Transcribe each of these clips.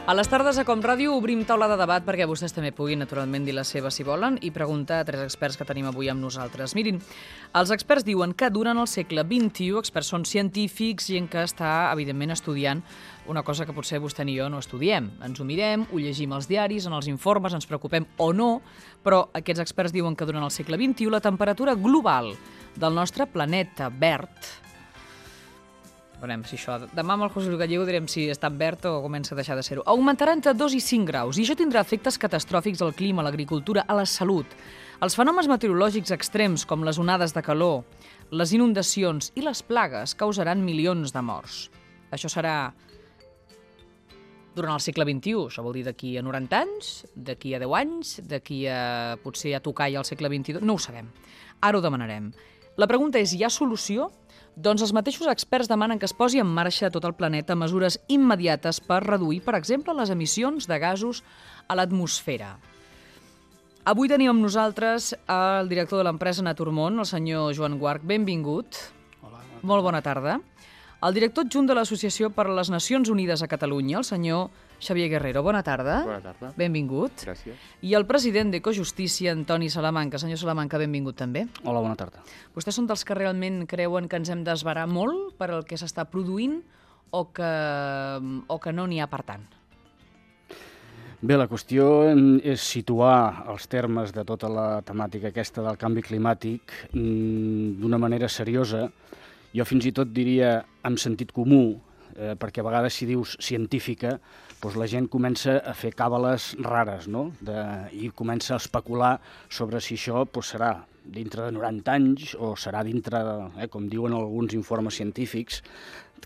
A les tardes a Com Ràdio obrim taula de debat perquè vostès també puguin, naturalment, dir la seva si volen i preguntar a tres experts que tenim avui amb nosaltres. Mirin, els experts diuen que durant el segle XXI, experts són científics, gent que està, evidentment, estudiant una cosa que potser vostè ni jo no estudiem. Ens ho mirem, ho llegim als diaris, en els informes, ens preocupem o no, però aquests experts diuen que durant el segle XXI la temperatura global del nostre planeta verd, veurem si això... Demà amb el José Luis Gallego direm si està en verd o comença a deixar de ser-ho. Augmentarà entre 2 i 5 graus i això tindrà efectes catastròfics al clima, a l'agricultura, a la salut. Els fenòmens meteorològics extrems com les onades de calor, les inundacions i les plagues causaran milions de morts. Això serà durant el segle XXI, això vol dir d'aquí a 90 anys, d'aquí a 10 anys, d'aquí a potser a tocar ja el segle XXII, no ho sabem. Ara ho demanarem. La pregunta és, hi ha solució? Doncs els mateixos experts demanen que es posi en marxa a tot el planeta mesures immediates per reduir, per exemple, les emissions de gasos a l'atmosfera. Avui tenim amb nosaltres el director de l'empresa Naturmón, el senyor Joan Guarch. Benvingut. Hola. Molt bona tarda. El director adjunt de l'Associació per a les Nacions Unides a Catalunya, el senyor Xavier Guerrero. Bona tarda. Bona tarda. Benvingut. Gràcies. I el president d'Ecojustícia, Antoni Salamanca. Senyor Salamanca, benvingut també. Hola, bona tarda. Vostès són dels que realment creuen que ens hem d'esverar molt per al que s'està produint o que no n'hi ha per tant? Bé, la qüestió és situar els termes de tota la temàtica aquesta del canvi climàtic d'una manera seriosa. Jo fins i tot diria amb sentit comú, perquè a vegades si dius científica, doncs la gent comença a fer càbales rares, no? I comença a especular sobre si això serà dintre de 90 anys o serà dintre, com diuen alguns informes científics,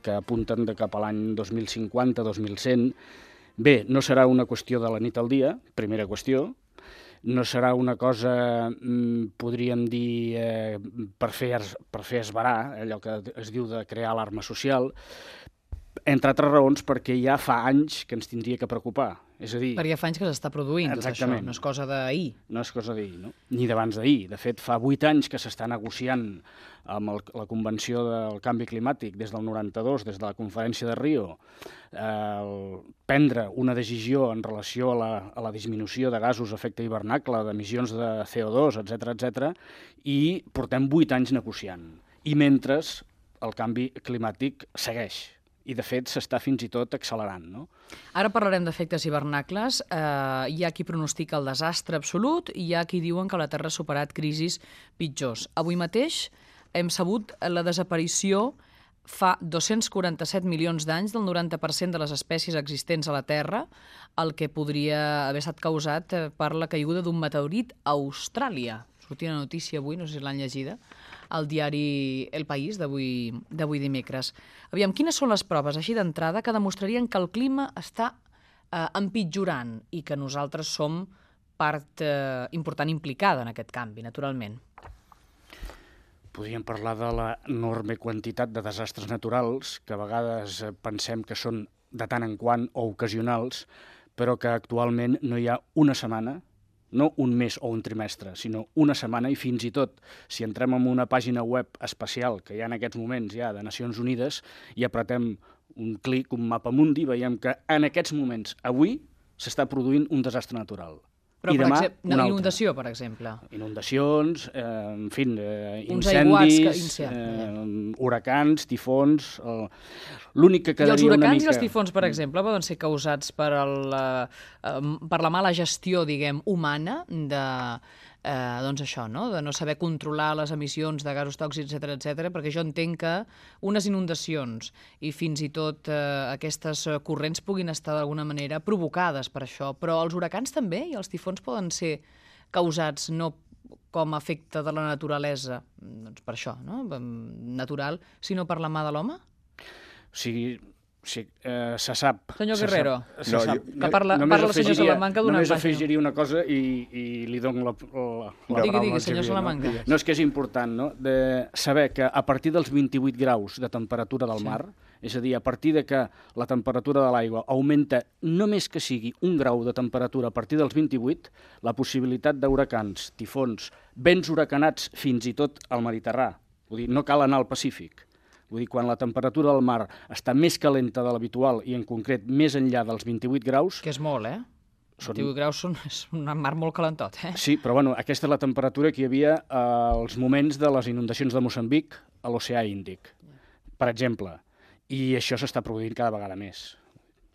que apunten de cap a l'any 2050, 2100. Bé, no serà una qüestió de la nit al dia, primera qüestió. No serà una cosa, podríem dir, per fer esverar, allò que es diu de crear alarma social, entre altres raons perquè ja fa anys que ens tindria que preocupar. És a dir... Perquè fa anys que s'està produint tot això, no és cosa d'ahir. No és cosa d'ahir, no? Ni d'abans d'ahir. De fet, fa 8 anys que s'està negociant amb la Convenció del Canvi Climàtic des del 92, des de la Conferència de Rio, prendre una decisió en relació a la disminució de gasos d'efecte hivernacle, d'emissions de CO2, etc, i portem 8 anys negociant. I mentre el canvi climàtic segueix. I, de fet, s'està fins i tot accelerant, no? Ara parlarem d'efectes hivernacles. Hi ha qui pronostica el desastre absolut i hi ha qui diuen que la Terra ha superat crisis pitjors. Avui mateix hem sabut la desaparició fa 247 milions d'anys del 90% de les espècies existents a la Terra, el que podria haver estat causat per la caiguda d'un meteorit a Austràlia. Sortia una notícia avui, no sé si l'han llegida, al diari El País d'avui dimecres. Aviam, quines són les proves, així d'entrada, que demostrarien que el clima està empitjorant i que nosaltres som part important implicada en aquest canvi, naturalment? Podríem parlar de l'enorme quantitat de desastres naturals, que a vegades pensem que són de tant en quant o ocasionals, però que actualment no hi ha una setmana, no un mes o un trimestre, sinó una setmana, i fins i tot, si entrem en una pàgina web especial que hi ha en aquests moments ja de Nacions Unides i apretem un clic, un mapa mundi, veiem que en aquests moments, avui, s'està produint un desastre natural. Però, I demà, una inundació, per exemple. Inundacions, en fi, incendis, huracans, tifons... L'únic que quedaria una mica... I els huracans i els tifons, per exemple, poden ser causats per la mala gestió, diguem, humana doncs això, no? De no saber controlar les emissions de gasos tòxics, etc, perquè jo entenc que unes inundacions i fins i tot aquestes corrents puguin estar d'alguna manera provocades per això, però els huracans també i els tifons poden ser causats no com a efecte de la naturalesa, doncs per això, no? Natural, sinó per la mà de l'home? Sí, se sap. Senyor Guerrero, que parla el senyor Salamanca d'una Només afegiria una cosa i li dono la paraula. Digui, senyor Salamanca. No, és que és important, no?, de saber que a partir dels 28 graus de temperatura del mar, és a dir, a partir de que la temperatura de l'aigua augmenta només que sigui 1 grau de temperatura a partir dels 28, la possibilitat d'huracans, tifons, vents huracanats fins i tot al Mediterrani, vull dir, no cal anar al Pacífic, Vull dir, quan la temperatura del mar està més calenta de l'habitual i en concret més enllà dels 28 graus... Que és molt, 28 graus és un mar molt calentot, Sí, però bueno, aquesta és la temperatura que hi havia als moments de les inundacions de Moçambic a l'oceà Índic, per exemple. I això s'està produint cada vegada més.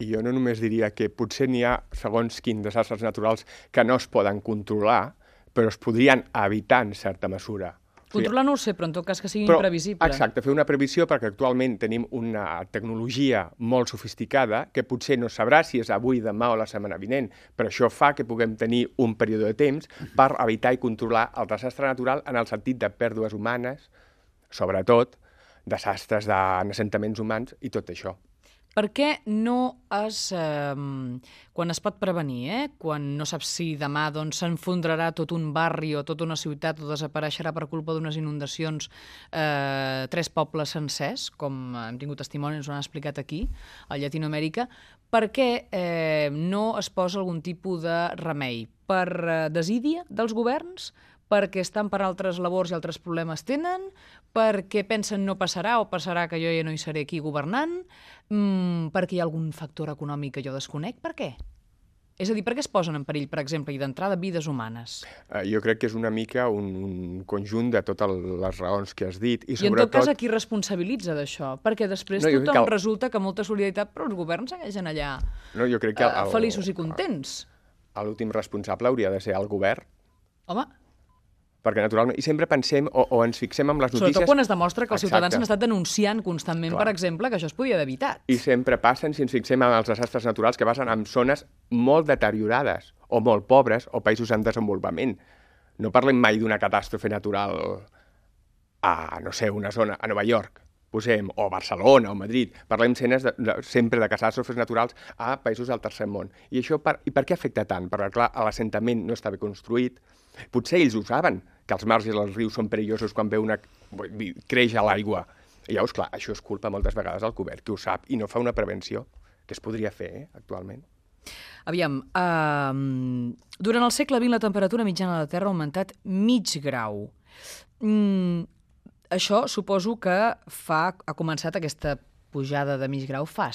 I jo no només diria que potser n'hi ha segons quins desastres naturals que no es poden controlar, però es podrien evitar en certa mesura. Controlar no ho sé, però en tot cas que sigui imprevisible. Exacte, fer una previsió perquè actualment tenim una tecnologia molt sofisticada que potser no sabrà si és avui, demà o la setmana vinent, però això fa que puguem tenir un període de temps per evitar i controlar el desastre natural en el sentit de pèrdues humanes, sobretot desastres d'assentaments humans i tot això. Per què no quan es pot prevenir, quan no saps si demà s'enfondrarà tot un barri o tota una ciutat o desapareixerà per culpa d'unes inundacions 3 pobles sencers, com hem tingut testimonis, ens ho han explicat aquí, a Llatinoamèrica, per què no es posa algun tipus de remei? Per desídia dels governs? Perquè estan per altres labors i altres problemes tenen, perquè pensen no passarà o passarà que jo ja no hi seré aquí governant, perquè hi ha algun factor econòmic que jo desconec, per què? És a dir, per què es posen en perill, per exemple, i d'entrada vides humanes? Jo crec que és una mica un conjunt de totes les raons que has dit. I en tot cas, a qui responsabilitza d'això? Perquè després tothom resulta que molta solidaritat, però els governs segueixen allà feliços i contents. L'últim responsable hauria de ser el govern. Home, perquè naturalment, i sempre pensem o ens fixem en les notícies... Sobretot quan es demostra que els ciutadans han estat denunciant constantment, per exemple, que això es podia haver evitat. I sempre passen, si ens fixem en els desastres naturals, que passen en zones molt deteriorades, o molt pobres, o països en desenvolupament. No parlem mai d'una catàstrofe natural a, no sé, una zona, a Nova York, posem, o Barcelona, o Madrid. Parlem sempre de catàstrofes naturals a països del tercer món. I això, i per què afecta tant? Perquè, clar, l'assentament no està bé construït. Potser ells ho saben, que els mars i els rius són perillosos quan creix a l'aigua. I llavors, clar, això és culpa moltes vegades del govern, que ho sap i no fa una prevenció, que es podria fer, actualment. Aviam, durant el segle XX la temperatura mitjana de la Terra ha augmentat mig grau. Això suposo que ha començat aquesta pujada de mig grau fa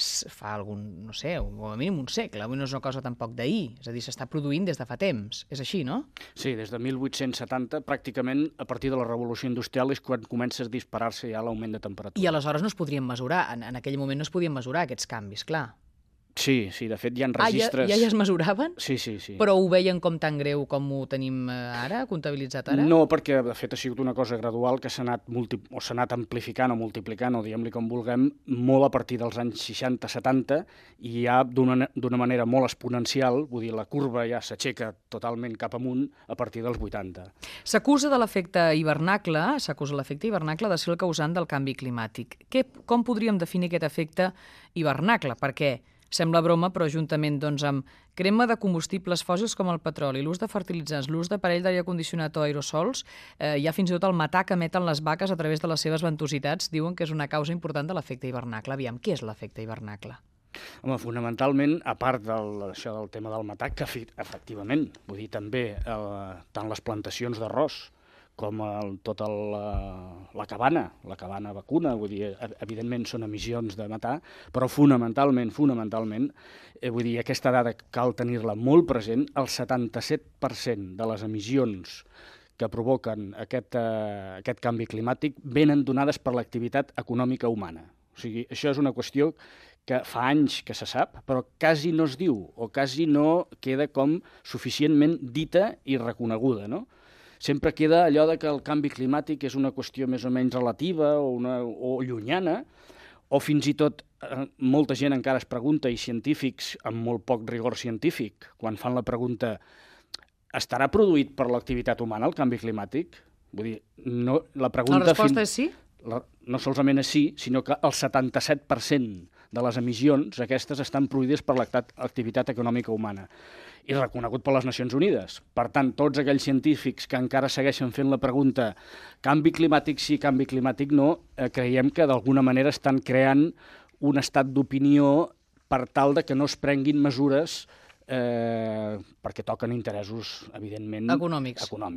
algun, no sé, com a mínim un segle. Avui no és una cosa tampoc d'ahir. És a dir, s'està produint des de fa temps. És així, no? Sí, des de 1870, pràcticament a partir de la Revolució Industrial és quan comença a disparar-se ja l'augment de temperatura. I aleshores no es podrien mesurar. En aquell moment no es podien mesurar aquests canvis, clar. Sí, de fet hi ha registres... Ja es mesuraven? Sí. Però ho veien com tan greu com ho tenim ara, comptabilitzat ara? No, perquè de fet ha sigut una cosa gradual que s'ha anat amplificant o multiplicant, o diguem-li com vulguem, molt a partir dels anys 60-70 i ja d'una manera molt exponencial, vull dir, la curva ja s'aixeca totalment cap amunt a partir dels 80. S'acusa l'efecte hivernacle de ser el causant del canvi climàtic. Com podríem definir aquest efecte hivernacle? Perquè sembla broma, però juntament amb crema de combustibles fòssils com el petroli, l'ús de fertilitzants, l'ús d'aparell d'aire condicionat o aerosols, hi ha fins i tot el metà que emeten les vaques a través de les seves ventositats, diuen que és una causa important de l'efecte hivernacle. Aviam, què és l'efecte hivernacle? Home, fonamentalment, a part d'això del tema del metà, que efectivament, vull dir, també tant les plantacions d'arròs com tota la cabana vacuna, vull dir, evidentment són emissions de metà, però fonamentalment, vull dir, aquesta dada cal tenir-la molt present, el 77% de les emissions que provoquen aquest canvi climàtic venen donades per l'activitat econòmica humana. O sigui, això és una qüestió que fa anys que se sap, però quasi no es diu, o quasi no queda com suficientment dita i reconeguda, no? Sempre queda allò de que el canvi climàtic és una qüestió més o menys relativa o llunyana, o fins i tot molta gent encara es pregunta, i científics amb molt poc rigor científic, quan fan la pregunta estarà produït per l'activitat humana el canvi climàtic? Vull dir, no, la resposta és sí? No solament és sí, sinó que el 77% de les emissions aquestes estan produïdes per l'activitat econòmica humana i reconegut per les Nacions Unides. Per tant, tots aquells científics que encara segueixen fent la pregunta canvi climàtic sí, canvi climàtic no, creiem que d'alguna manera estan creant un estat d'opinió per tal de que no es prenguin mesures perquè toquen interessos, evidentment, econòmics.